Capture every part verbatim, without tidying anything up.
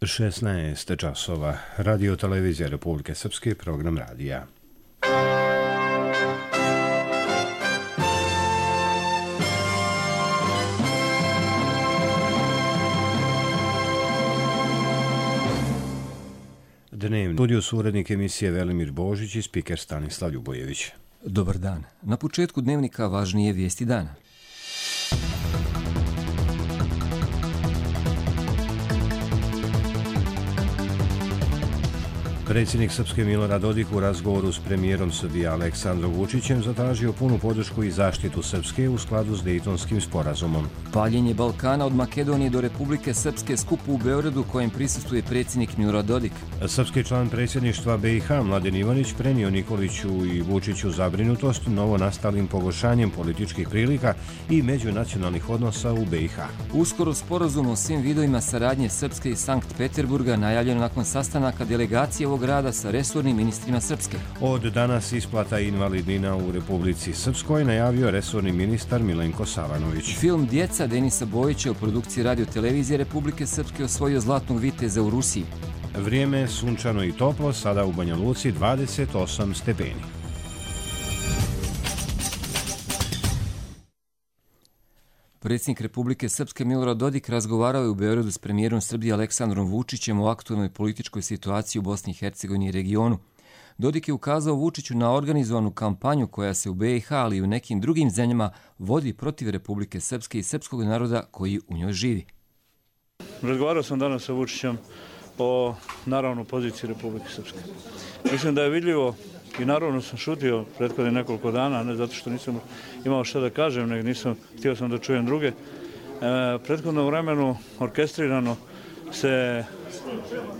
šesnaest časova. Radio televizija Republike Srpske, program radija. Dnevni studio su urednik emisije Velimir Božić i spiker Stanislav Ljubojević. Dobar dan. Na početku dnevnika važnije vijesti dana. Predsjednik Srpske Milorad Dodik u razgovoru s premijerom Srbije Aleksandrom Vučićem zatražio punu podršku i zaštitu Srpske u skladu s Dejtonskim sporazumom. Paljenje Balkana od Makedonije do Republike Srpske skupu u Beogradu kojem prisustvuje predsjednik Milorad Dodik. Srpski član predsjedništva B i H Mladen Ivanić prenio Nikoliću i Vučiću zabrinutost novo nastalim pogoršanjem političkih prilika i međunacionalnih odnosa u B i H. Uskoro sporazum o svim vidovima saradnje Srpske i Sankt Peterburga najavljeno nakon sastanaka delegacije ovog rada sa resornim ministrima Srpske. Od danas isplata invalidnina u Republici Srpskoj, najavio resorni ministar Milenko Savanović. Film Djeca Denisa Bojića u produkciji radiotelevizije Republike Srpske osvojio Zlatnog viteza u Rusiji. Vrijeme sunčano i toplo, sada u Banja Luci dvadeset osam stepeni. Predsjednik Republike Srpske Milorad Dodik razgovarao je u Beogradu s premijerom Srbije Aleksandrom Vučićem o aktualnoj političkoj situaciji u Bosni i Hercegovini i regionu. Dodik je ukazao Vučiću na organizovanu kampanju koja se u B i H, ali i u nekim drugim zemljama vodi protiv Republike Srpske i srpskog naroda koji u njoj živi. Razgovarao sam danas sa Vučićem o, naravno, poziciji Republike Srpske. Mislim da je vidljivo, i naravno sam šutio prethodnih nekoliko dana, ne zato što nisam imao šta da kažem, nego nisam, htio sam da čujem druge. E, prethodno vremenu orkestrirano se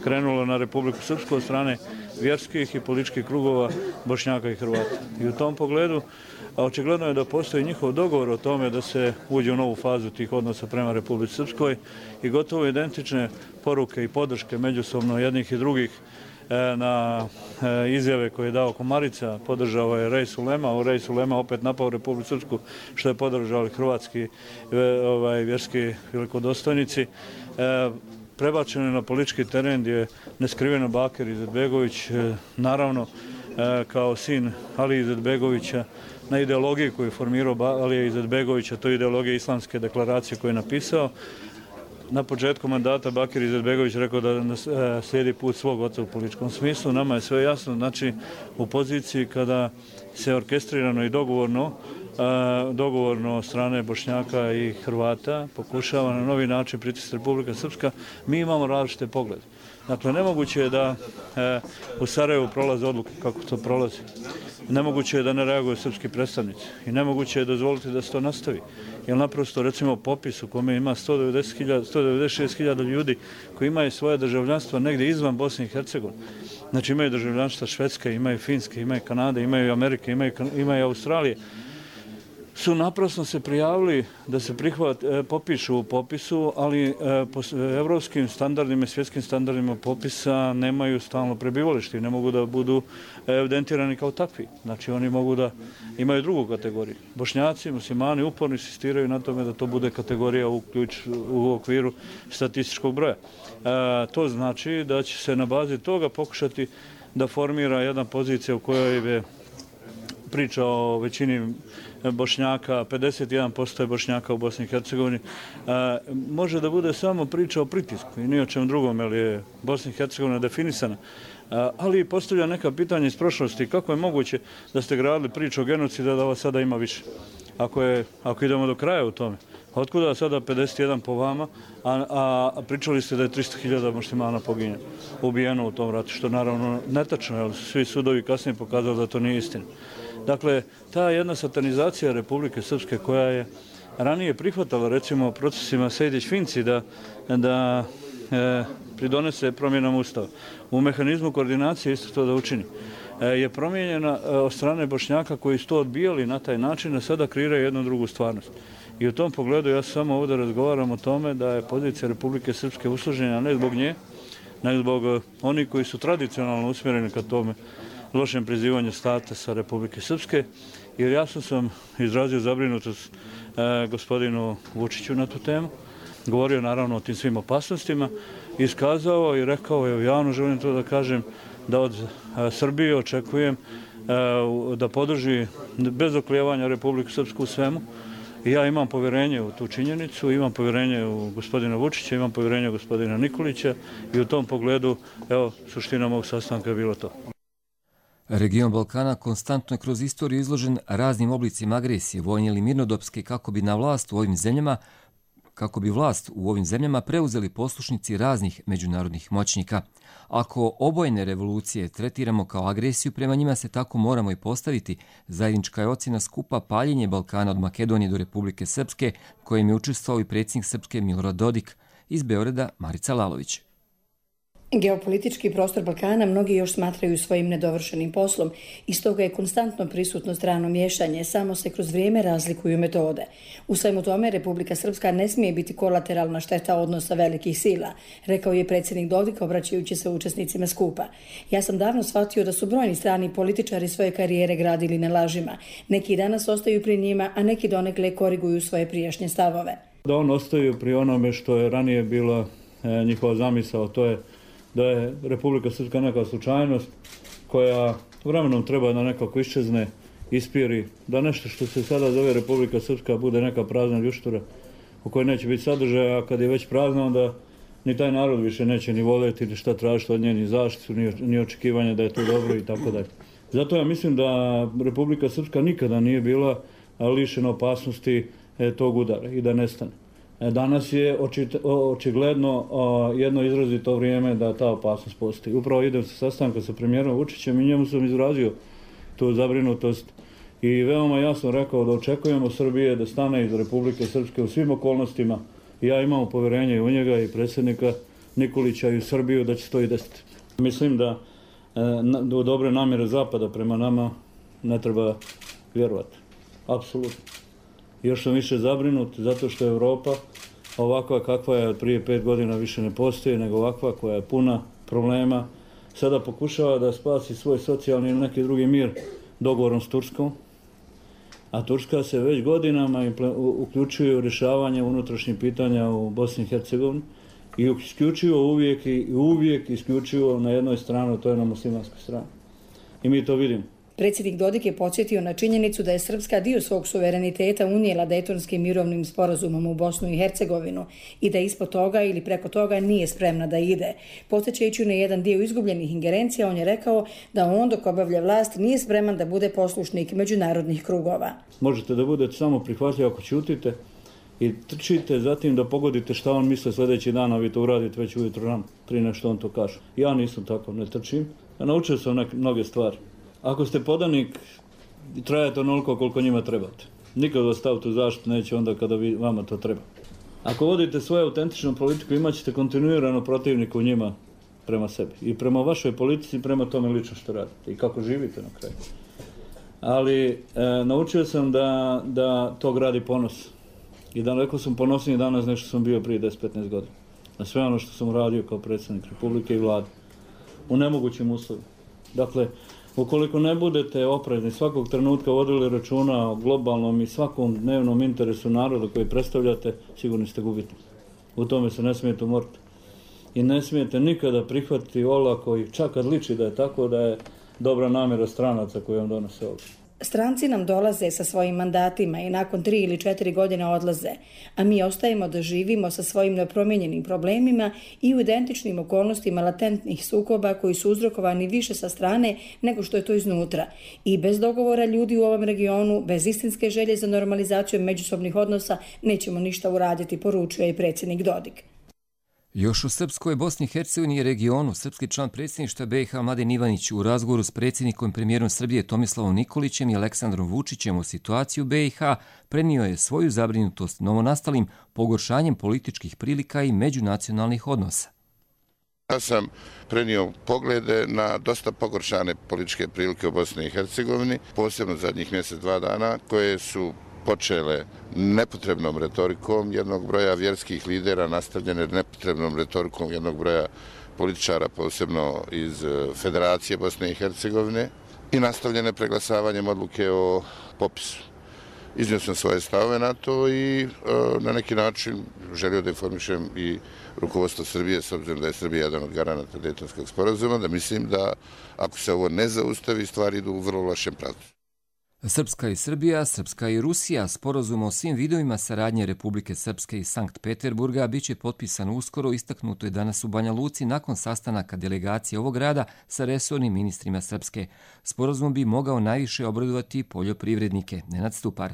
krenulo na Republiku Srpsku od strane vjerskih i političkih krugova Bošnjaka i Hrvata. I u tom pogledu očigledno je da postoji njihov dogovor o tome da se uđe u novu fazu tih odnosa prema Republici Srpskoj i gotovo identične poruke i podrške međusobno jednih i drugih na izjave koje je dao Komarica, podržao je Rej Sulema, u Rej Sulema opet napao Republiku Srpsku, što je podržali hrvatski ovaj, vjerski velikodostojnici. E, prebačeno je na politički teren gdje je neskriveno Bakir Izetbegović, e, naravno e, kao sin Ali Izetbegovića, na ideologiji koju je formirao Alija Izetbegovića, to je ideologija islamske deklaracije koju je napisao. Na početku mandata Bakir Izetbegović rekao da slijedi put svog oca u političkom smislu. Nama je sve jasno, znači u poziciji kada se orkestrirano i dogovorno, dogovorno od strane Bošnjaka i Hrvata pokušava na novi način pritisnuti Republika Srpska, mi imamo različite poglede. Dakle, nemoguće je da e, u Sarajevu prolaze odluke kako to prolazi. Nemoguće je da ne reaguju srpski predstavnici i nemoguće je dozvoliti da se to nastavi. Jer naprosto, recimo, popis u kome ima sto devedeset šest hiljada ljudi koji imaju svoje državljanstvo negdje izvan Bosne i Hercegovine. Znači, imaju državljanstva Švedske, imaju Finske, imaju Kanade, imaju Amerike, imaju, imaju Australije. Su naprosto se prijavili da se prihvat, e, popišu u popisu, ali e, po evropskim standardima i svjetskim standardima popisa nemaju stalno prebivalište i ne mogu da budu evidentirani kao takvi. Znači oni mogu da imaju drugu kategoriju. Bošnjaci, muslimani uporno insistiraju na tome da to bude kategorija u, ključ, u okviru statističkog broja. E, to znači da će se na bazi toga pokušati da formira jedna pozicija u kojoj je priča o većini Bošnjaka, pedeset jedan posto je Bošnjaka u Bosni i Hercegovini, može da bude samo priča o pritisku i ni o čem drugom, jer je Bosna i Hercegovina definisana. Ali postavlja neka pitanja iz prošlosti. Kako je moguće da ste gradili priču o genocidu da vas sada ima više? Ako, je, ako idemo do kraja u tome. Otkuda sada pedeset jedan po vama, a, a, a pričali ste da je tristo hiljada muslimana poginjeno, ubijeno u tom ratu, što naravno netačno, jer su svi sudovi kasnije pokazali da to nije istina. Dakle, ta jedna satanizacija Republike Srpske koja je ranije prihvatala, recimo, procesima Sejdić-Finci da, da e, pridonese promjenama Ustava. U mehanizmu koordinacije isto to da učini. E, je promijenjena e, od strane Bošnjaka koji su to odbijali na taj način, a sada kreiraju jednu drugu stvarnost. I u tom pogledu ja samo ovdje razgovaram o tome da je pozicija Republike Srpske usložena ne zbog nje, nego zbog onih koji su tradicionalno usmjereni ka tome lošem prizivanju statusa Republike Srpske, jer jasno sam izrazio zabrinutost e, gospodinu Vučiću na tu temu. govorio naravno o tim svim opasnostima, iskazao i rekao, evo javno želim to da kažem, da od Srbije očekujem da podrži bez oklijevanja Republiku Srpsku u svemu. I ja imam povjerenje u tu činjenicu, imam povjerenje u gospodina Vučića, imam povjerenje u gospodina Nikolića i u tom pogledu, evo, suština mog sastanka je bilo to. Region Balkana konstantno je kroz istoriju izložen raznim oblicima agresije, vojne ili mirnodopske, kako bi na vlast u ovim zemljama kako bi vlast u ovim zemljama preuzeli poslušnici raznih međunarodnih moćnika. Ako obojene revolucije tretiramo kao agresiju, prema njima se tako moramo i postaviti. Zajednička je ocjena skupa Paljenje Balkana od Makedonije do Republike Srpske, kojim je učestvovao i predsjednik Srpske Milorad Dodik. Iz Beograda Marica Lalović. Geopolitički prostor Balkana mnogi još smatraju svojim nedovršenim poslom i stoga je konstantno prisutno strano miješanje, samo se kroz vrijeme razlikuju metode. U svemu tome Republika Srpska ne smije biti kolateralna šteta odnosa velikih sila, rekao je predsjednik Dodik obraćajući se učesnicima skupa. Ja sam davno shvatio da su brojni strani političari svoje karijere gradili na lažima. Neki danas ostaju pri njima, a neki donekle koriguju svoje prijašnje stavove. Da on ostaju pri onome što je ranije bila e, njihova zamisao, to je da je Republika Srpska neka slučajnost koja vremenom treba da nekako iščezne, ispiri, da nešto što se sada zove Republika Srpska bude neka prazna ljuštura u kojoj neće biti sadržaja, a kad je već prazna onda ni taj narod više neće ni voljeti ni šta tražiti od nje, ni zaštitu, ni, ni očekivanje da je to dobro i tako dalje. Zato ja mislim da Republika Srpska nikada nije bila lišena opasnosti e, tog udara i da nestane. Danas je očigledno jedno izrazito vrijeme da ta opasnost postoji. Upravo idem sa sastanka sa premijerom Vučićem i njemu sam izrazio tu zabrinutost i veoma jasno rekao da očekujemo Srbije da stane iz Republike Srpske u svim okolnostima. Ja imam povjerenje u njega i predsjednika Nikolića i u Srbiju da će to i desiti. Mislim da u dobre namjere Zapada prema nama ne treba vjerovati. Apsolutno. Još sam više zabrinut zato što Evropa ovakva kakva je od prije pet godina više ne postoji, nego ovakva koja je puna problema. Sada pokušava da spasi svoj socijalni ili neki drugi mir dogovorom s Turskom, a Turska se već godinama uključuje u rješavanje unutrašnjih pitanja u Bosni i Hercegovini i isključivo uvijek i uvijek isključivo na jednoj strani, to je na muslimanskoj strani. I mi to vidimo. Predsjednik Dodik je podsjetio na činjenicu da je Srpska dio svog suvereniteta unijela Dejtonskim mirovnim sporazumom u Bosnu i Hercegovinu i da ispod toga ili preko toga nije spremna da ide. Podsjećajući na jedan dio izgubljenih ingerencija, on je rekao da on dok obavlja vlast nije spreman da bude poslušnik međunarodnih krugova. Možete da budete samo prihvatljivi ako ćutite i trčite zatim da pogodite šta on misle sljedeći dan, a vi to uradite već ujutro rano, prije nešto on to kaže. Ja nisam tako, ne trčim. Ja naučio sam neke, mnoge stvari. Ako ste podanik, trajate onoliko koliko njima trebate. Nikad vas staviti u zaštitu neće onda kada vi, vama to treba. Ako vodite svoju autentičnu politiku, imat ćete kontinuirano protivnika u njima prema sebi. I prema vašoj politici i prema tome lično što radite. I kako živite na kraju. Ali e, naučio sam da, da to gradi ponos. I da rekao sam ponosniji danas nego što sam bio prije deset do petnaest godina. Na sve ono što sam uradio kao predsjednik Republike i vlade. U nemogućim uslovima. Dakle, ukoliko ne budete oprezni, svakog trenutka vodili računa o globalnom i svakom dnevnom interesu naroda koji predstavljate, sigurno ste gubitni. U tome se ne smijete umoriti. I ne smijete nikada prihvatiti olako i čak kad liči da je tako, da je dobra namjera stranaca koji vam donose ovdje. Stranci nam dolaze sa svojim mandatima i nakon tri ili četiri godine odlaze, a mi ostajemo da živimo sa svojim nepromijenjenim problemima i u identičnim okolnostima latentnih sukoba koji su uzrokovani više sa strane nego što je to iznutra. I bez dogovora ljudi u ovom regionu, bez istinske želje za normalizacijom međusobnih odnosa, nećemo ništa uraditi, poručuje i predsjednik Dodik. Još u Srpskoj, Bosni i Hercegovini i regionu, srpski član predsjedništva B i H Mladen Ivanić u razgovoru s predsjednikom i premijerom Srbije Tomislavom Nikolićem i Aleksandrom Vučićem o situaciji u B i H prenio je svoju zabrinutost novonastalim pogoršanjem političkih prilika i međunacionalnih odnosa. Ja sam prenio poglede na dosta pogoršane političke prilike u Bosni i Hercegovini, posebno zadnjih mjesec, dva dana, koje su počele nepotrebnom retorikom jednog broja vjerskih lidera, nastavljene nepotrebnom retorikom jednog broja političara, posebno iz Federacije Bosne i Hercegovine, i nastavljene preglasavanjem odluke o popisu. Iznio sam svoje stavove na to i na neki način želio da informišem i rukovodstvo Srbije, s obzirom da je Srbija jedan od garanata Dejtonskog sporazuma, da mislim da ako se ovo ne zaustavi, stvari idu u vrlo lošem pravcu. Srpska i Srbija, Srpska i Rusija, sporazum o svim vidovima saradnje Republike Srpske i Sankt Peterburga biće potpisan uskoro, istaknuto je danas u Banja Luci nakon sastanaka delegacije ovog grada sa resornim ministrima Srpske. Sporazum bi mogao najviše obradovati poljoprivrednike. Nenad Stupar.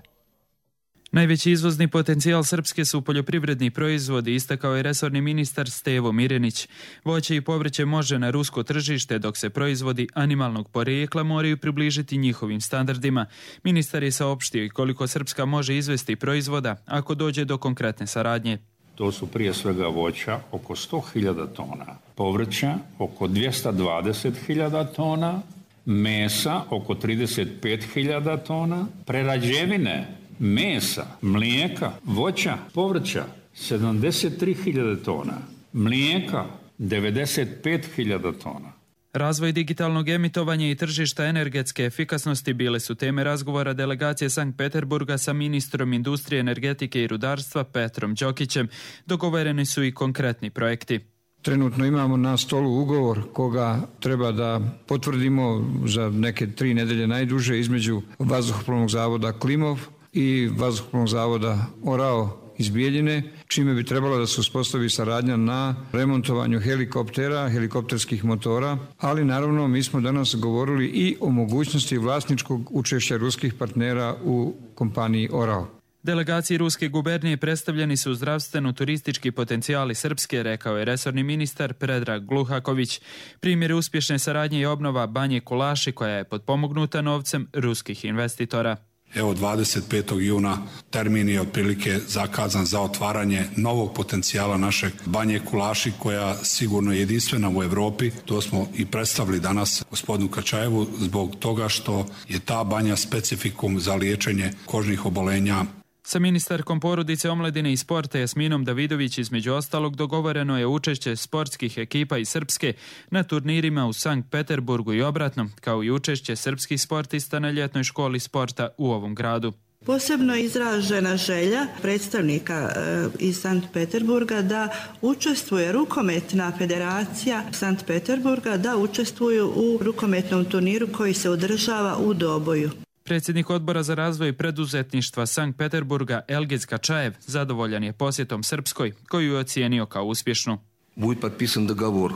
Najveći izvozni potencijal Srpske su poljoprivredni proizvodi, istakao je resorni ministar Stevo Mirenić. Voće i povrće može na rusko tržište, dok se proizvodi animalnog porijekla moraju približiti njihovim standardima. Ministar je saopštio i koliko Srpska može izvesti proizvoda ako dođe do konkretne saradnje. To su prije svega voća oko sto hiljada tona, povrća oko dvjesto dvadeset hiljada tona, mesa oko trideset pet hiljada tona, prerađevine, mesa, mlijeka, voća, povrća sedamdeset tri hiljade tona, mlijeka devedeset pet hiljada tona. Razvoj digitalnog emitovanja i tržišta energetske efikasnosti bile su teme razgovora delegacije Sankt Peterburga sa ministrom industrije, energetike i rudarstva Petrom Đokićem. Dogovoreni su i konkretni projekti. Trenutno imamo na stolu ugovor koga treba da potvrdimo za neke tri nedelje najduže između Vazduhoplovnog zavoda Klimov i Vazduhoplovnog zavoda Orao iz Bijeljine, čime bi trebalo da se uspostavi saradnja na remontovanju helikoptera, helikopterskih motora, ali naravno mi smo danas govorili i o mogućnosti vlasničkog učešća ruskih partnera u kompaniji Orao. Delegaciji ruske gubernije predstavljeni su zdravstveno-turistički potencijali Srpske, rekao je resorni ministar Predrag Gluhaković. Primjer uspješne saradnje i obnova Banje Kulaši, koja je potpomognuta novcem ruskih investitora. Evo dvadeset petog juna termin je otprilike zakazan za otvaranje novog potencijala našeg Banje Kulaši, koja sigurno je jedinstvena u Europi. To smo i predstavili danas gospodinu Kačajevu zbog toga što je ta banja specifikum za liječenje kožnih obolenja. Sa ministarkom porodice, omladine i sporta Jasminom Davidović između ostalog dogovoreno je učešće sportskih ekipa iz Srpske na turnirima u Sankt Peterburgu i obratno, kao i učešće srpskih sportista na ljetnoj školi sporta u ovom gradu. Posebno je izražena želja predstavnika e, iz Sankt Peterburga da učestvuje rukometna federacija Sankt Peterburga, da učestvuju u rukometnom turniru koji se održava u Doboju. Predsjednik odbora za razvoj preduzetništva Sankt Peterburga Elgiz Kačajev zadovoljan je posjetom Srpskoj, koju je ocijenio kao uspješnu. Bude potpisan dogovor.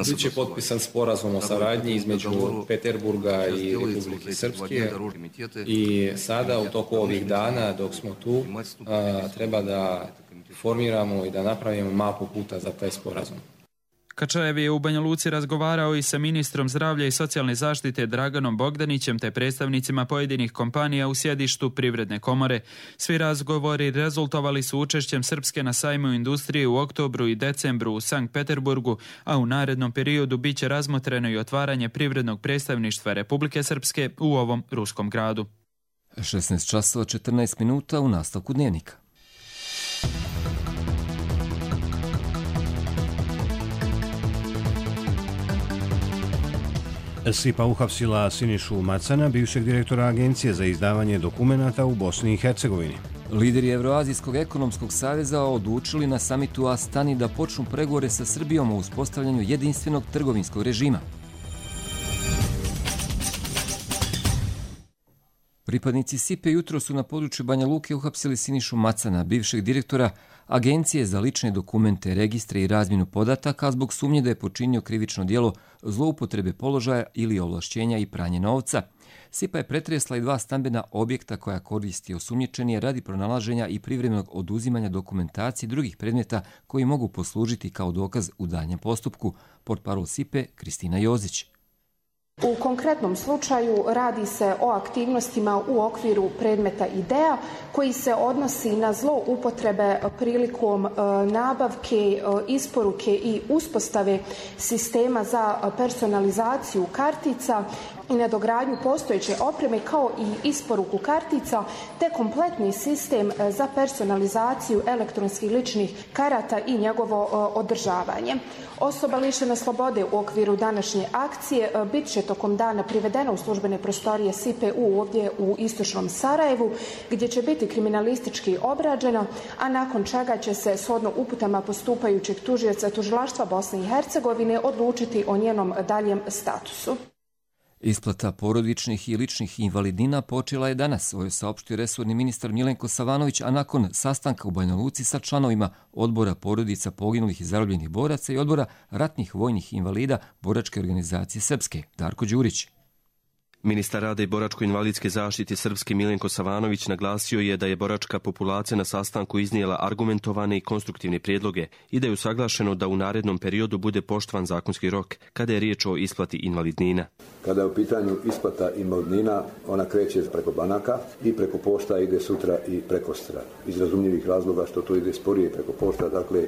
Biće potpisan sporazum o saradnji između Peterburga i Republike Srpske i sada u toku ovih dana dok smo tu a, treba da formiramo i da napravimo mapu puta za taj sporazum. Kačajev je u Banja Luci razgovarao i sa ministrom zdravlja i socijalne zaštite Draganom Bogdanićem te predstavnicima pojedinih kompanija u sjedištu Privredne komore. Svi razgovori rezultovali su učešćem Srpske na sajmu industrije u oktobru i decembru u Sankt Peterburgu, a u narednom periodu biće razmotreno i otvaranje privrednog predstavništva Republike Srpske u ovom ruskom gradu. šesnaest časova četrnaest minuta u nastavku dnevnika. S I P A uhapsila Sinišu Macana, bivšeg direktora Agencije za izdavanje dokumenata u Bosni i Hercegovini. Lideri Evroazijskog ekonomskog saveza odlučili na samitu Astani da počnu pregovore sa Srbijom o uspostavljanju jedinstvenog trgovinskog režima. Pripadnici S I P A jutro su na području Banja Luke uhapsili Sinišu Macana, bivšeg direktora Agencije za lične dokumente, registre i razmjenu podataka zbog sumnje da je počinio krivično djelo zloupotrebe položaja ili ovlašćenja i pranje novca. S I P A je pretresla i dva stambena objekta koja koristi osumnjičeni radi pronalaženja i privremenog oduzimanja dokumentacije i drugih predmeta koji mogu poslužiti kao dokaz u daljem postupku. Portparol S I P A Kristina Jozić. U konkretnom slučaju radi se o aktivnostima u okviru predmeta IDEA koji se odnosi na zloupotrebe prilikom nabavke, isporuke i uspostave sistema za personalizaciju kartica i nadogradnju postojeće opreme kao i isporuku kartica te kompletni sistem za personalizaciju elektronskih ličnih karata i njegovo održavanje. Osoba lišena slobode u okviru današnje akcije bit će tokom dana privedena u službene prostorije S I P U ovdje u istočnom Sarajevu, gdje će biti kriminalistički obrađena, a nakon čega će se shodno uputama postupajućeg tužioca Tužilaštva Bosne i Hercegovine odlučiti o njenom daljem statusu. Isplata porodičnih i ličnih invalidnina počela je danas, ovo je saopštio resorni ministar Milenko Savanović, a nakon sastanka u Banja Luci sa članovima odbora porodica poginulih i zarobljenih boraca i odbora ratnih vojnih invalida Boračke organizacije Srpske. Darko Đurić. Ministar rada i boračko-invalidske zaštite Srpske Milenko Savanović naglasio je da je boračka populacija na sastanku iznijela argumentovane i konstruktivne prijedloge i da je usaglašeno da u narednom periodu bude poštovan zakonski rok kada je riječ o isplati invalidnina. Kada je u pitanju isplata invalidnina, ona kreće preko banaka i preko pošta ide sutra i prekostra. Iz razumljivih razloga što to ide sporije preko pošta, dakle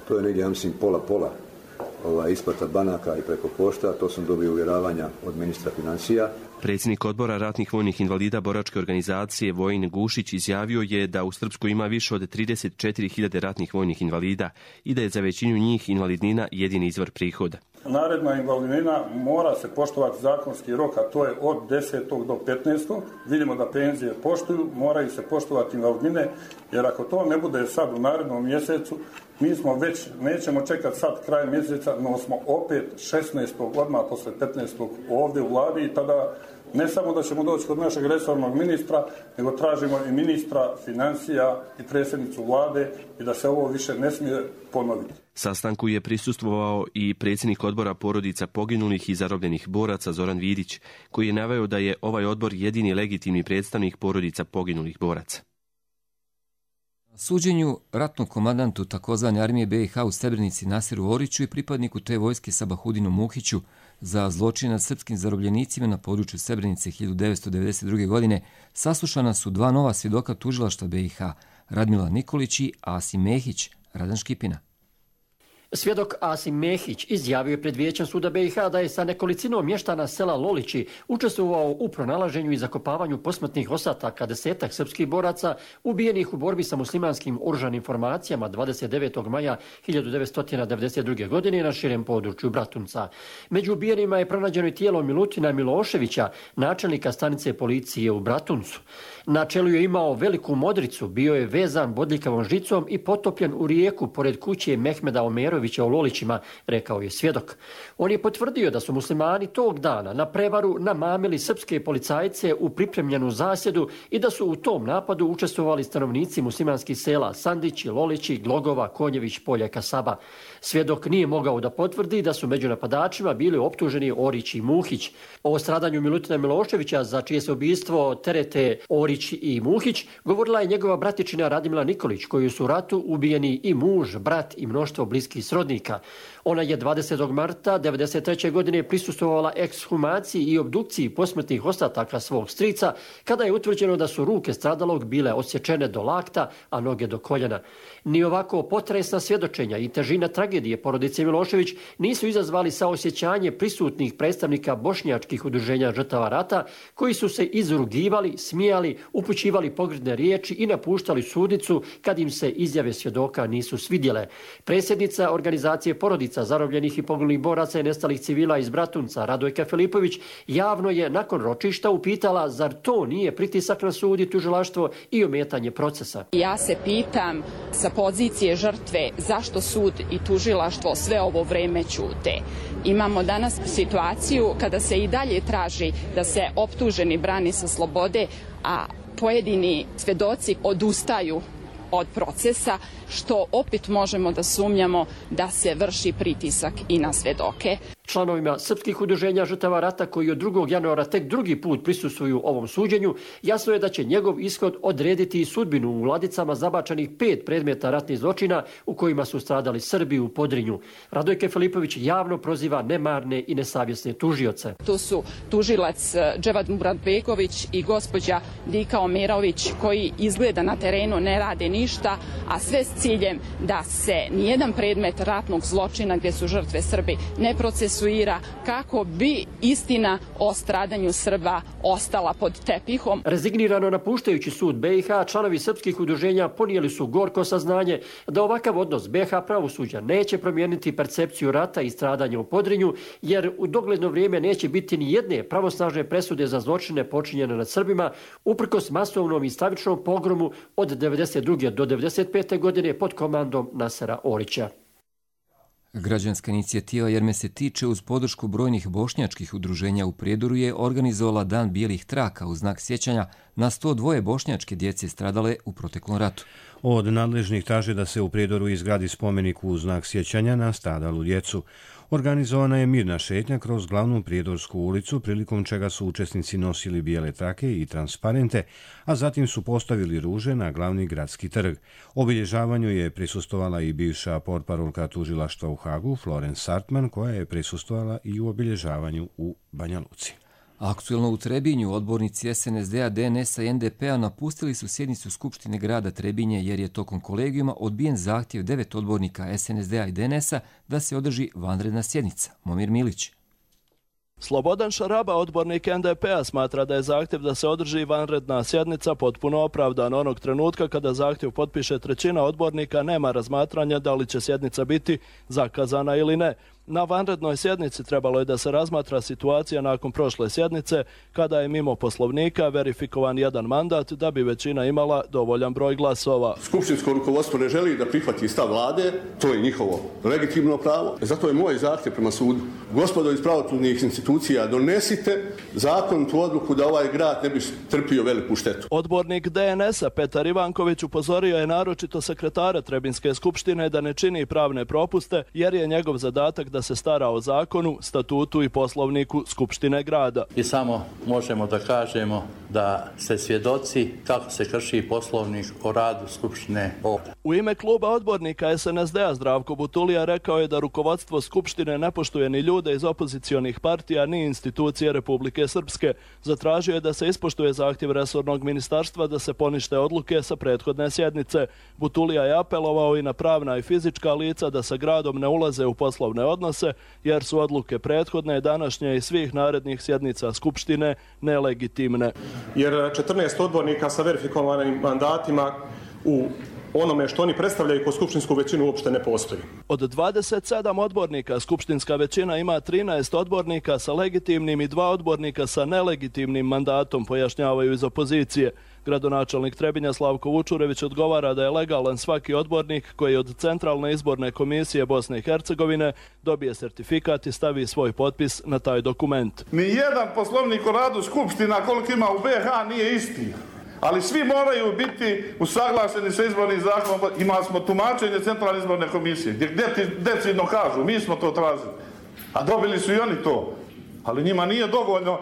to je negdje, ja mislim, pola-pola. Ova isplata banaka i preko pošta, to sam dobio uvjeravanja od ministra financija. Predsjednik odbora ratnih vojnih invalida Boračke organizacije Vojin Gušić izjavio je da u Srpskoj ima više od trideset četiri hiljade ratnih vojnih invalida i da je za većinu njih invalidnina jedini izvor prihoda. Naredna invalidnina mora se poštovati zakonski rok, a to je od desetog do petnaestog Vidimo da penzije poštuju, moraju se poštovati invalidnine, jer ako to ne bude sad u narednom mjesecu, mi smo već, nećemo čekati sad kraj mjeseca, no smo opet šesnaestog odmah posle petnaestog ovdje u vladi i tada ne samo da ćemo doći kod našeg resornog ministra, nego tražimo i ministra financija i predsjednicu vlade i da se ovo više ne smije ponoviti. Sastanku je prisustvovao i predsjednik odbora porodica poginulih i zarobljenih boraca Zoran Vidić, koji je naveo da je ovaj odbor jedini legitimni predstavnik porodica poginulih boraca. Suđenju ratnom komandantu takozvane armije B i H u Srebrenici Nasiru Oriću i pripadniku te vojske Sabahudinu Muhiću za zločine nad srpskim zarobljenicima na području Srebrenice hiljadu devetsto devedeset druge. godine saslušana su dva nova svjedoka tužilaštva B i H, Radmila Nikolić i Asim Mehić. Radan Škipina. Svjedok Asim Mehić izjavio je pred vijećem suda B i H da je sa nekolicinom mještana sela Lolići učestvovao u pronalaženju i zakopavanju posmrtnih ostataka desetak srpskih boraca ubijenih u borbi sa muslimanskim oružanim formacijama dvadeset devetog maja hiljadu devetsto devedeset druge. godine na širem području Bratunca. Među ubijenima je pronađeno i tijelo Milutina Miloševića, načelnika stanice policije u Bratuncu. Na čelu je imao veliku modricu, bio je vezan bodljikavom žicom i potopljen u rijeku pored kuće Mehmeda Omerovića u Lolićima, rekao je svjedok. On je potvrdio da su muslimani tog dana na prevaru namamili srpske policajce u pripremljenu zasjedu i da su u tom napadu učestvovali stanovnici muslimanskih sela Sandići, Lolići, Glogova, Konjević, Polja i Kasaba. Svjedok nije mogao da potvrdi da su među napadačima bili optuženi Orić i Muhić. O stradanju Milutina Miloševića, za čije se ubistvo terete Orić i Muhić, govorila je njegova bratičina Radmila Nikolić, koju su u ratu ubijeni i muž, brat i mnoštvo bliskih srodnika. Ona je dvadesetog marta devedeset treće. godine prisustvovala ekshumaciji i obdukciji posmrtnih ostataka svog strica, kada je utvrđeno da su ruke stradalog bile odsječene do lakta, a noge do koljena. Ni ovako potresna svjedočenja i težina tragedije porodice Milošević nisu izazvali saosjećanje prisutnih predstavnika bošnjačkih udruženja žrtava rata, koji su se izrugivali, smijali, upućivali pogrdne riječi i napuštali sudnicu kad im se izjave svjedoka nisu svidjele. Predsjednica organizacije porodica zarobljenih i poginulih boraca i nestalih civila iz Bratunca, Radojka Filipović, javno je nakon ročišta upitala zar to nije pritisak na sud i tužilaštvo i ometanje procesa. Ja se pitam sa pozicije žrtve zašto sud i tužilaštvo sve ovo vreme ćute. Imamo danas situaciju kada se i dalje traži da se optuženi brani sa slobode, a pojedini svedoci odustaju od procesa, što opet možemo da sumnjamo da se vrši pritisak i na svedoke. Članovima srpskih udruženja žrtava rata, koji od drugog januara tek drugi put prisustvuju ovom suđenju, jasno je da će njegov ishod odrediti i sudbinu u ladicama zabačenih pet predmeta ratnih zločina u kojima su stradali Srbi u Podrinju. Radojke Filipović javno proziva nemarne i nesavjesne tužioce. Tu su tužilac Dževad Muratbegović i gospođa Dika Omerović, koji izgleda na terenu ne rade ništa, a sve s ciljem da se nijedan predmet ratnog zločina gdje su žrtve Srbi ne procesuira procesuira kako bi istina o stradanju Srba ostala pod tepihom. Rezignirano napuštajući sud B i H, članovi srpskih udruženja ponijeli su gorko saznanje da ovakav odnos B i H pravosuđa neće promijeniti percepciju rata i stradanja u Podrinju, jer u dogledno vrijeme neće biti ni jedne pravosnažne presude za zločine počinjene nad Srbima, uprkos masovnom i stravičnom pogromu od devedeset druge do devedeset pete godine pod komandom Nasera Orića. Građanska inicijativa Jer me se tiče uz podršku brojnih bošnjačkih udruženja u Prijedoru je organizovala Dan bijelih traka u znak sjećanja na sto dva bošnjačke djece stradale u proteklom ratu. Od nadležnih traže da se u Prijedoru izgradi spomenik u znak sjećanja na stradalu djecu. Organizovana je mirna šetnja kroz glavnu Prijedorsku ulicu, prilikom čega su učesnici nosili bijele trake i transparente, a zatim su postavili ruže na glavni gradski trg. Obilježavanju je prisustvovala i bivša portparolka tužilaštva u Hagu, Florence Sartman, koja je prisustvovala i u obilježavanju u Banja Luci. Aktuelno u Trebinju odbornici S N S D-a, D N S-a i N D P-a napustili su sjednicu Skupštine grada Trebinje jer je tokom kolegijuma odbijen zahtjev devet odbornika S N S D-a i D N S-a da se održi vanredna sjednica. Momir Milić. Slobodan Šaraba, odbornik N D P-a, smatra da je zahtjev da se održi vanredna sjednica potpuno opravdan. Onog trenutka kada zahtjev potpiše trećina odbornika nema razmatranja da li će sjednica biti zakazana ili ne. Na vanrednoj sjednici trebalo je da se razmatra situacija nakon prošle sjednice, kada je mimo poslovnika verifikovan jedan mandat da bi većina imala dovoljan broj glasova. Skupštinsko rukovodstvo ne želi da prihvati stav vlade, to je njihovo legitimno pravo. Zato je moj zahtjev prema sudu. Gospodo iz pravosudnih institucija, donesite zakonitu odluku da ovaj grad ne bi trpio veliku štetu. Odbornik D N S-a Petar Ivanković upozorio je naročito sekretara Trebinske skupštine da ne čini pravne propuste, jer je njegov zadatak da se stara o zakonu, statutu i poslovniku Skupštine grada. I samo možemo da kažemo da ste svjedoci kako se krši poslovnik o radu Skupštine ovdje. U ime kluba odbornika S N S D-a Zdravko Butulija rekao je da rukovodstvo Skupštine ne poštuje ni ljude iz opozicionih partija ni institucije Republike Srpske. Zatražio je da se ispoštuje zahtjev resornog ministarstva da se ponište odluke sa prethodne sjednice. Butulija je apelovao i na pravna i fizička lica da sa gradom ne ulaze u poslovne odnose, jer su odluke prethodne, današnje i svih narednih sjednica Skupštine nelegitimne. Jer četrnaest odbornika sa verifikovanim mandatima u onome što oni predstavljaju kao skupštinsku većinu uopšte ne postoji. Od dvadeset sedam odbornika skupštinska većina ima trinaest odbornika sa legitimnim i dva odbornika sa nelegitimnim mandatom, pojašnjavaju iz opozicije. Gradonačelnik Trebinja Slavko Vučurević odgovara da je legalan svaki odbornik koji od Centralne izborne komisije Bosne i Hercegovine dobije sertifikat i stavi svoj potpis na taj dokument. Ni jedan poslovnik o radu skupština koliko ima u B i H nije isti. Ali svi moraju biti usaglašeni sa izbornim zakonom. Imali smo tumačenje Centralne izborne komisije, gdje decidno kažu, mi smo to tražili. A dobili su i oni to. Ali njima nije dovoljno.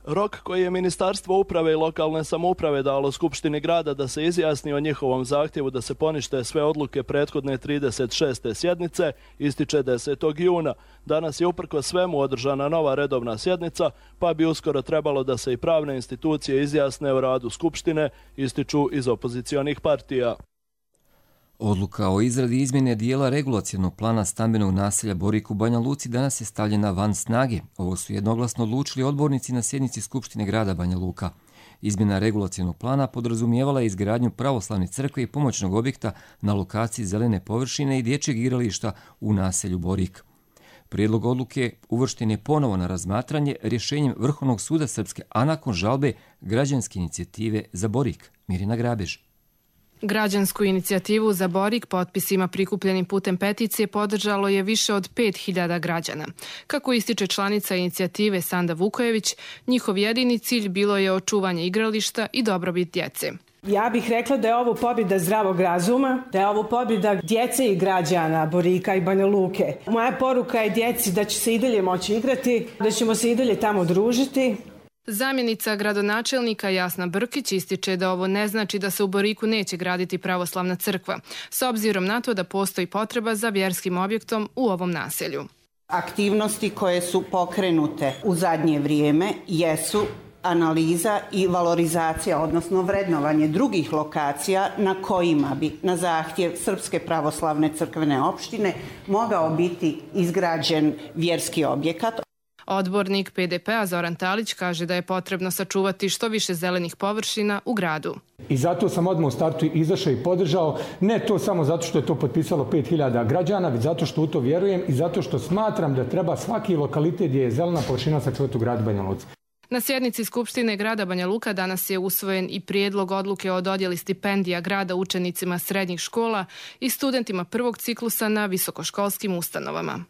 Rok koji je Ministarstvo uprave i lokalne samouprave dalo Skupštini grada da se izjasni o njihovom zahtjevu da se ponište sve odluke prethodne trideset šeste sjednice ističe desetog juna. Danas je uprkos svemu održana nova redovna sjednica, pa bi uskoro trebalo da se i pravne institucije izjasne o radu Skupštine, ističu iz opozicionih partija. Odluka o izradi izmjene dijela regulacionog plana stambenog naselja Borik u Banja Luci danas je stavljena van snage. Ovo su jednoglasno odlučili odbornici na sjednici Skupštine grada Banja Luka. Izmjena regulacionog plana podrazumijevala je izgradnju pravoslavne crkve i pomoćnog objekta na lokaciji zelene površine i dječjeg igrališta u naselju Borik. Prijedlog odluke uvršten je ponovo na razmatranje rješenjem Vrhovnog suda Srpske, a nakon žalbe građanske inicijative za Borik. Mirina Grabež. Građansku inicijativu za Borik potpisima prikupljenim putem peticije podržalo je više od pet hiljada građana. Kako ističe članica inicijative Sanda Vukojević, njihov jedini cilj bilo je očuvanje igrališta i dobrobit djece. Ja bih rekla da je ovo pobjeda zdravog razuma, da je ovo pobjeda djece i građana Borika i Banja Luke. Moja poruka je djeci da će se i dalje moći igrati, da ćemo se i dalje tamo družiti. Zamjenica gradonačelnika Jasna Brkić ističe da ovo ne znači da se u Boriku neće graditi pravoslavna crkva, s obzirom na to da postoji potreba za vjerskim objektom u ovom naselju. Aktivnosti koje su pokrenute u zadnje vrijeme jesu analiza i valorizacija, odnosno vrednovanje drugih lokacija na kojima bi na zahtjev Srpske pravoslavne crkvene opštine mogao biti izgrađen vjerski objekat. Odbornik P D P-a Zoran Talić kaže da je potrebno sačuvati što više zelenih površina u gradu. I zato sam odmah u startu izašao i podržao, ne to samo zato što je to potpisalo pet hiljada građana, već zato što u to vjerujem i zato što smatram da treba svaki lokalitet gdje je zelena površina sačuvati u gradu Banja Luci. Na sjednici Skupštine grada Banja Luka danas je usvojen i prijedlog odluke o dodjeli stipendija grada učenicima srednjih škola i studentima prvog ciklusa na visokoškolskim ustanovama.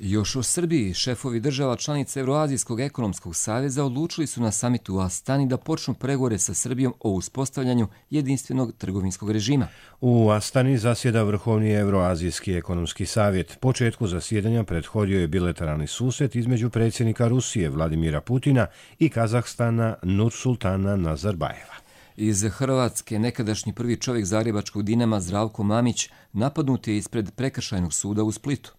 Još o Srbiji, šefovi država članica Evroazijskog ekonomskog saveza odlučili su na samitu u Astani da počnu pregovore sa Srbijom o uspostavljanju jedinstvenog trgovinskog režima. U Astani zasjeda Vrhovni Evroazijski ekonomski savjet. Početku zasjedanja prethodio je bilateralni susret između predsjednika Rusije Vladimira Putina i Kazahstana Nursultana Nazarbajeva. Iz Hrvatske nekadašnji prvi čovjek zagrebačkog Dinama Zdravko Mamić napadnut je ispred prekršajnog suda u Splitu.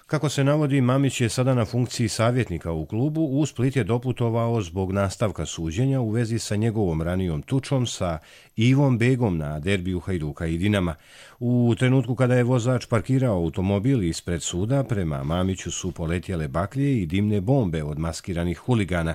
Kako se navodi, Mamić je sada na funkciji savjetnika u klubu. U Split je doputovao zbog nastavka suđenja u vezi sa njegovom ranijom tučom sa Ivom Begom na derbiju Hajduka i Dinama. U trenutku kada je vozač parkirao automobil ispred suda, prema Mamiću su poletjele baklje i dimne bombe od maskiranih huligana.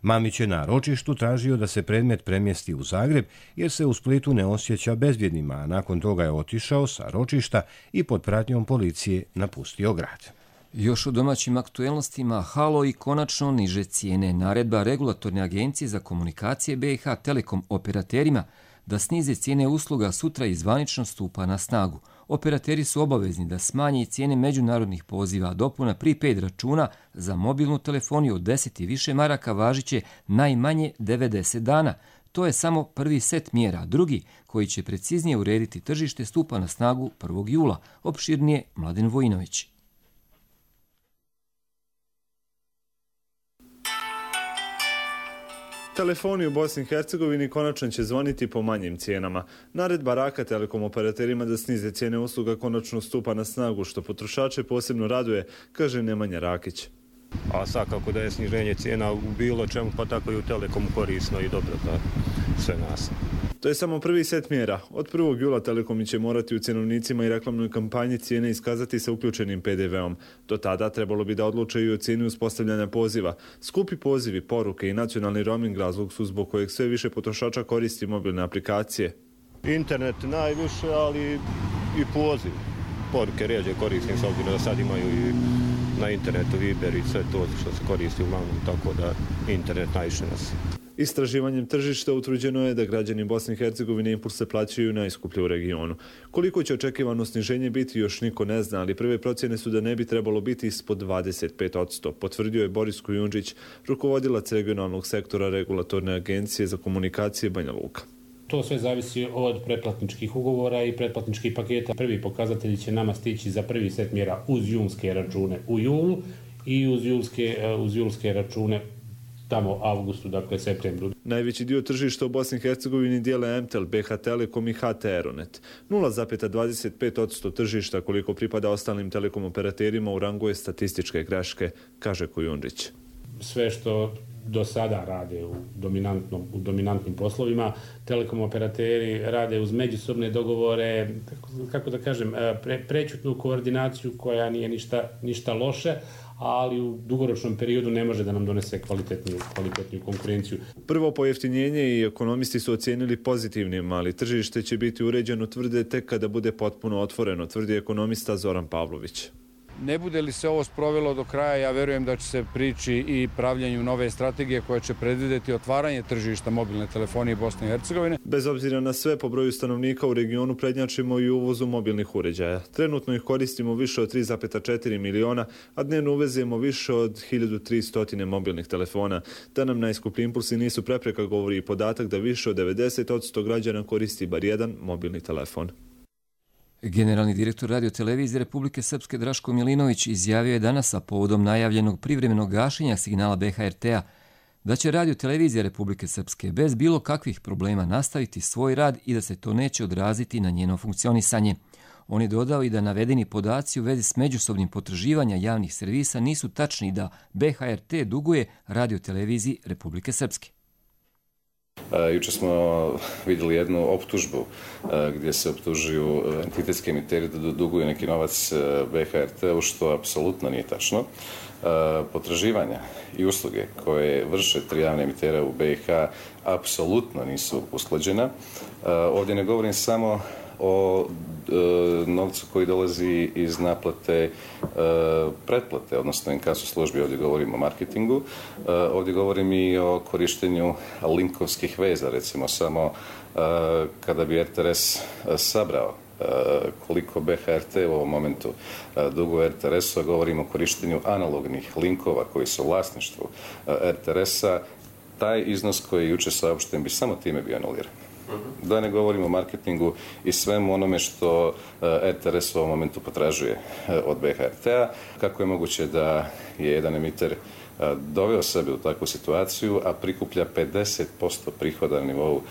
Mamić je na ročištu tražio da se predmet premjesti u Zagreb jer se u Splitu ne osjeća bezbjednima, a nakon toga je otišao sa ročišta i pod pratnjom policije napustio grad. Još u domaćim aktuelnostima halo i konačno niže cijene. Naredba Regulatorne agencije za komunikacije B i H Telekom operaterima da snize cijene usluga sutra i zvanično stupa na snagu. Operateri su obavezni da smanje cijene međunarodnih poziva, dopuna prepaid računa za mobilnu telefoniju od deset i više maraka važiće najmanje devedeset dana. To je samo prvi set mjera. Drugi, koji će preciznije urediti tržište, stupa na snagu prvog jula. Opširnije Mladen Vojinović. Telefoni u Bosni i Hercegovini konačno će zvoniti po manjim cijenama. Naredba Raka Telekom operaterima da snize cijene usluga konačno stupa na snagu, što potrošače posebno raduje, kaže Nemanja Rakić. A svakako da je sniženje cijena u bilo čemu, pa tako i u Telekomu korisno i dobro za sve nas. To je samo prvi set mjera. Od prvog jula Telekomi će morati u cjenovnicima i reklamnoj kampanji cijene iskazati sa uključenim P D V-om. Do tada trebalo bi da odluče i o cijeni uspostavljanja poziva. Skupi pozivi, poruke i nacionalni roaming razlog su zbog kojeg sve više potrošača koristi mobilne aplikacije. Internet najviše, ali i poziv. Poruke rijeđe koristim, s obzirom da sad imaju i na internetu Viber i sve to što se koristi uglavnom, tako da internet najviše nas. Istraživanjem tržišta utvrđeno je da građani Bosne i Hercegovine impulse plaćaju najskuplje u regionu. Koliko će očekivano sniženje biti još niko ne zna, ali prve procjene su da ne bi trebalo biti ispod dvadeset pet posto, potvrdio je Boris Kujundžić, rukovodilac regionalnog sektora Regulatorne agencije za komunikacije Banja Luka. To sve zavisi od pretplatničkih ugovora i pretplatničkih paketa. Prvi pokazatelji će nama stići za prvi set mjera uz julske račune u julu i uz julske, uz julske račune tamo avgustu, dakle septembru. Najveći dio tržišta u Bosni i Hercegovini dijele M T E L, B H Telekom i H T Aeronet. nula zarez dvadeset pet posto tržišta koliko pripada ostalim telekom operaterima u rangu je statističke greške, kaže Kujundžić. Sve što do sada rade u, dominantnom, u dominantnim poslovima, telekom operateri rade uz međusobne dogovore, kako, kako da kažem, pre, prećutnu koordinaciju koja nije ništa, ništa loše, ali u dugoročnom periodu ne može da nam donese kvalitetniju, kvalitetniju konkurenciju. Prvo pojeftinjenje i ekonomisti su ocijenili pozitivnim, ali tržište će biti uređeno, tvrde, tek kada bude potpuno otvoreno, tvrdi ekonomista Zoran Pavlović. Ne bude li se ovo sprovelo do kraja, ja verujem da će se prići i pravljenju nove strategije koja će predvidjeti otvaranje tržišta mobilne telefonije Bosne i Hercegovine. Bez obzira na sve, po broju stanovnika u regionu prednjačimo i uvozu mobilnih uređaja. Trenutno ih koristimo više od tri zarez četiri miliona, a dnevno uvezemo više od hiljadu tristo mobilnih telefona. Da nam najskuplji impulsi nisu prepreka, govori i podatak da više od devedeset posto građana koristi bar jedan mobilni telefon. Generalni direktor radiotelevizije Republike Srpske Draško Milinović izjavio je danas, a povodom najavljenog privremenog gašenja signala B H R T-a, da će radiotelevizija Republike Srpske bez bilo kakvih problema nastaviti svoj rad i da se to neće odraziti na njeno funkcionisanje. On je dodao i da navedeni podaci u vezi s međusobnim potraživanja javnih servisa nisu tačni i da B H R T duguje radioteleviziji Republike Srpske. Juče smo vidjeli jednu optužbu gdje se optužuju entitetski emiteri da duguju neki novac B H R T-u, što apsolutno nije tačno. Potraživanja i usluge koje vrše tri javne emitera u B i H apsolutno nisu usklađena. Ovdje ne govorim samo o e, novcu koji dolazi iz naplate e, pretplate, odnosno inkaso službi, ovdje govorim o marketingu, e, ovdje govorim i o korištenju linkovskih veza, recimo samo e, kada bi R T R S sabrao e, koliko B H R T u ovom momentu e, duguje R T R S-u, govorimo o korištenju analognih linkova koji su u vlasništvu e, R T R S-a, taj iznos koji je juče saopšten bi samo time bio anuliran. Da ne govorimo o marketingu i svemu onome što R T R S u ovom momentu potražuje od B H R T-a. Kako je moguće da je jedan emiter doveo sebe u takvu situaciju, a prikuplja pedeset posto prihoda na nivou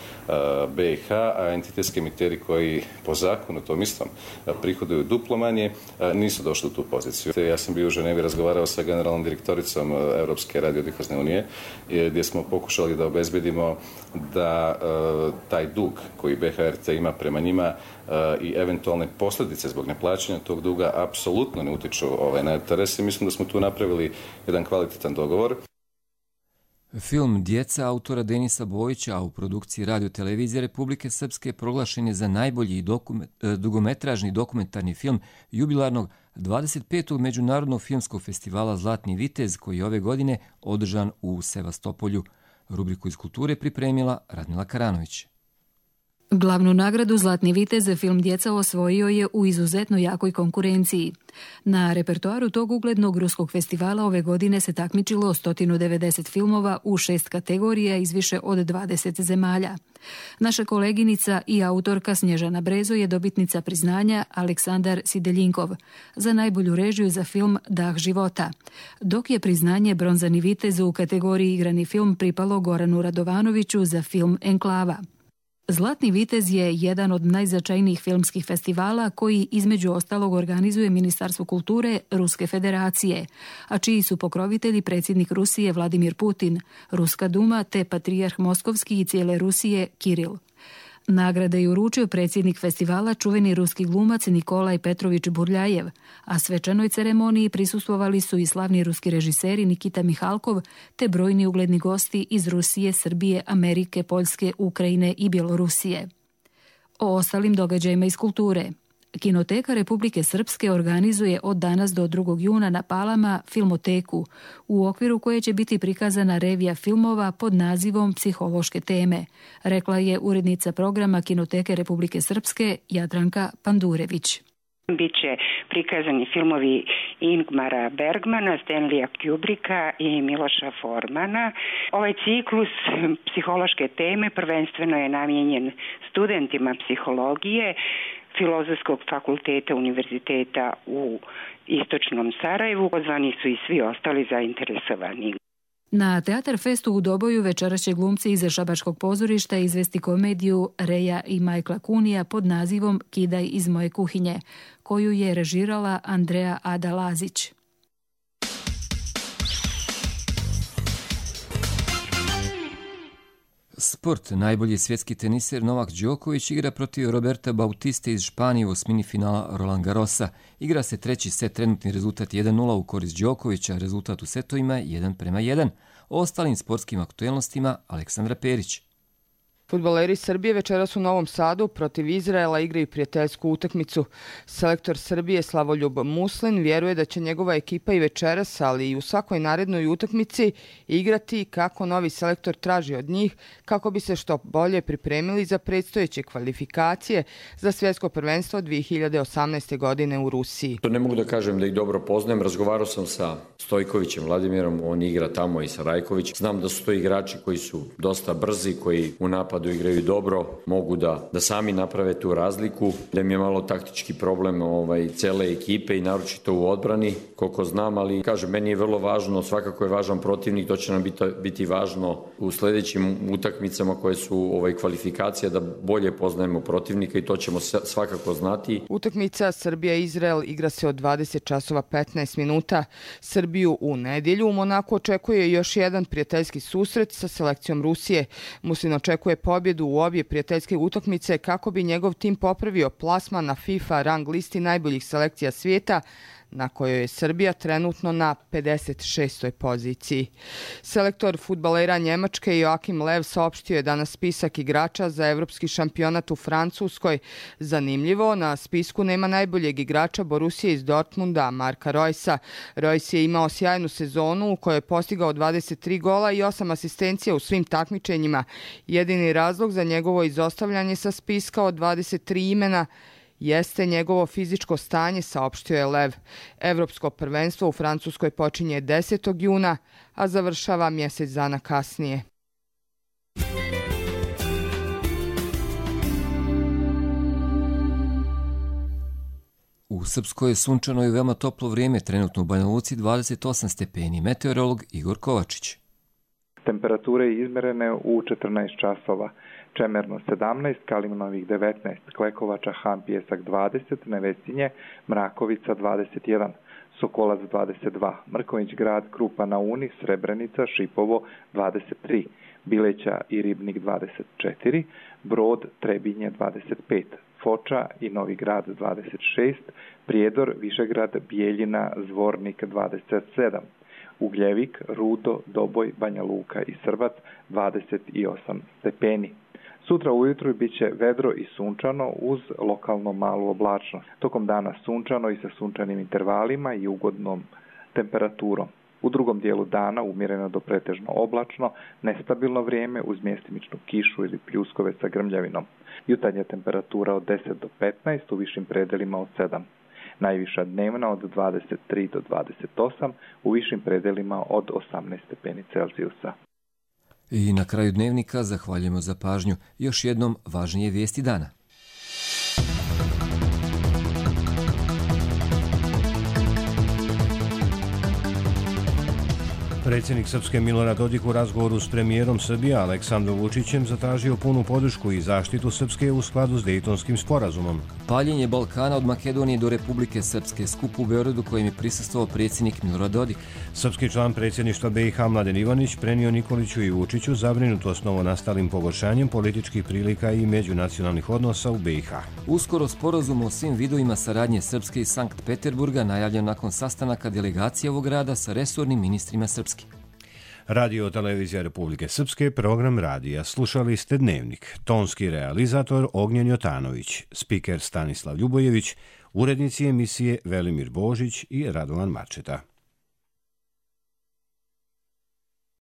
B i H, a entitetski emiteri koji po zakonu tom istom prihoduju duplo manje, nisu došli u tu poziciju. Ja sam bio u Ženevi, razgovarao sa generalnom direktoricom Europske radiodifuzne unije, gdje smo pokušali da obezbedimo da taj dug koji B H R T ima prema njima i eventualne posljedice zbog neplaćanja tog duga apsolutno ne utiču ovaj, na R T R S i mislim da smo tu napravili jedan kvalitetan dogovor. Film Djeca autora Denisa Bojića, a u produkciji radiotelevizije Republike Srpske proglašen je za najbolji dokument, dugometražni dokumentarni film jubilarnog dvadeset petog Međunarodnog filmskog festivala Zlatni vitez, koji je ove godine održan u Sevastopolju. Rubriku iz kulture pripremila Radmila Karanović. Glavnu nagradu Zlatni vitez film Djeca osvojio je u izuzetno jakoj konkurenciji. Na repertoaru tog uglednog ruskog festivala ove godine se takmičilo sto devedeset filmova u šest kategorija iz više od dvadeset zemalja. Naša koleginica i autorka Snježana Brezo je dobitnica priznanja Aleksandar Sideljinkov za najbolju režiju za film Dah života, dok je priznanje Bronzani vitez u kategoriji igrani film pripalo Goranu Radovanoviću za film Enklava. Zlatni vitez je jedan od najznačajnijih filmskih festivala koji između ostalog organizuje Ministarstvo kulture Ruske federacije, a čiji su pokrovitelji predsjednik Rusije Vladimir Putin, Ruska duma te patrijarh Moskovski i cijele Rusije Kiril. Nagrade je uručio predsjednik festivala, čuveni ruski glumac Nikolaj Petrović Burljajev, a svečanoj ceremoniji prisustvovali su i slavni ruski režiseri Nikita Mihalkov te brojni ugledni gosti iz Rusije, Srbije, Amerike, Poljske, Ukrajine i Bjelorusije. O ostalim događajima iz kulture. Kinoteka Republike Srpske organizuje od danas do drugog juna na Palama filmoteku, u okviru koje će biti prikazana revija filmova pod nazivom Psihološke teme, rekla je urednica programa Kinoteke Republike Srpske Jadranka Pandurević. Biće prikazani filmovi Ingmara Bergmana, Stanleya Kubricka i Miloša Formana. Ovaj ciklus Psihološke teme prvenstveno je namijenjen studentima psihologije Filozofskog fakulteta Univerziteta u Istočnom Sarajevu. Pozvani su i svi ostali zainteresovani. Na Teatar Festu u Doboju večeras će glumci iz Šabačkog pozorišta izvesti komediju Reja i Majkla Kunija pod nazivom Kidaj iz moje kuhinje, koju je režirala Andreja Ada Lazić. Sport. Najbolji svjetski teniser Novak Đoković igra protiv Roberta Bautiste iz Španije u osmini finala Roland Garrosa. Igra se treći set, trenutni rezultat jedan nula u korist Đokovića, rezultat u setovima jedan prema jedan. O ostalim sportskim aktuelnostima Aleksandra Perić. Fudbaleri Srbije večeras u Novom Sadu protiv Izraela igraju prijateljsku utakmicu. Selektor Srbije Slavoljub Muslin vjeruje da će njegova ekipa i večeras, ali i u svakoj narednoj utakmici igrati kako novi selektor traži od njih, kako bi se što bolje pripremili za predstojeće kvalifikacije za svjetsko prvenstvo dvije hiljade osamnaeste. godine u Rusiji. Ne mogu da kažem da ih dobro poznajem. Razgovarao sam sa Stojkovićem Vladimirom, on igra tamo i sa Rajković. Znam da su to igrači koji su dosta brzi, koji u napadu napadu igraju dobro, mogu da, da sami naprave tu razliku, da mi je malo taktički problem ovaj, cele ekipe i naročito u odbrani, koliko znam, ali kažem, meni je vrlo važno, svakako je važan protivnik, to će nam biti, biti važno u sljedećim utakmicama koje su ovaj, kvalifikacija, da bolje poznajemo protivnika i to ćemo svakako znati. Utakmica Srbija-Izrael igra se od dvadeset časova petnaest minuta. Srbiju u nedjelju u Monaku očekuje još jedan prijateljski susret sa selekcijom Rusije. Muslin očekuje pobjedu u obje prijateljske utakmice kako bi njegov tim popravio plasman na FIFA rang listi najboljih selekcija svijeta, na kojoj je Srbija trenutno na pedeset šestoj poziciji. Selektor fudbalera Njemačke Joachim Lev saopštio je danas spisak igrača za evropski šampionat u Francuskoj. Zanimljivo, na spisku nema najboljeg igrača Borussije iz Dortmunda, Marka Reusa. Reus je imao sjajnu sezonu u kojoj je postigao dvadeset tri gola i osam asistencija u svim takmičenjima. Jedini razlog za njegovo izostavljanje sa spiska od dvadeset tri imena jeste njegovo fizičko stanje, saopštio je Lev. Evropsko prvenstvo u Francuskoj počinje desetog juna, a završava mjesec dana kasnije. U Srpskoj je sunčano i veoma toplo vrijeme, trenutno u Banja Luci dvadeset osam stepeni. Meteorolog Igor Kovačić. Temperature izmerene u četrnaest časova. Čemerno sedamnaest, Kalimnovih devetnaest, Klekovača, Han, Pjesak dvadeset, Nevesinje, Mrakovica dvadeset jedan, Sokolac dvadeset dva, Mrković grad, Krupa na Uni, Srebrenica, Šipovo dvadeset tri, Bileća i Ribnik dvadeset četiri, Brod, Trebinje dvadeset pet, Foča i Novi grad dvadeset šest, Prijedor, Višegrad, Bijeljina, Zvornik dvadeset sedam, Ugljevik, Rudo, Doboj, Banja Luka i Srbac dvadeset osam stepeni. Sutra ujutru bit će vedro i sunčano uz lokalno malu oblačnost. Tokom dana sunčano i sa sunčanim intervalima i ugodnom temperaturom. U drugom dijelu dana umjereno do pretežno oblačno, nestabilno vrijeme uz mjestimičnu kišu ili pljuskove sa grmljavinom. Jutarnja temperatura od deset do petnaest, u višim predelima od sedam. Najviša dnevna od dvadeset tri do dvadeset osam, u višim predelima od osamnaest stepeni Celzijusa. I na kraju dnevnika zahvaljujemo za pažnju. Još jednom važnije vijesti dana. Predsjednik Srpske Milorad Dodik u razgovoru s premijerom Srbije Aleksandrom Vučićem zatražio punu podršku i zaštitu Srpske u skladu s Dejtonskim sporazumom. Paljenje Balkana od Makedonije do Republike Srpske, skup u Beogradu kojem je prisustvovao predsjednik Milorad Dodik. Srpski član predsjedništva B i H Mladen Ivanić prenio Nikoliću i Vučiću zabrinutost novonastalim pogoršanjem političkih prilika i međunacionalnih odnosa u B i H. Uskoro sporazum o svim vidovima saradnje Srpske i Sankt Peterburga najavljen nakon sastanaka delegacije ovog grada sa resornim ministrima Srpske. Radio Televizija Republike Srpske, program radija. Slušali ste Dnevnik. Tonski realizator Ognjen Jotanović, spiker Stanislav Ljubojević, urednici emisije Velimir Božić i Radovan Mačeta.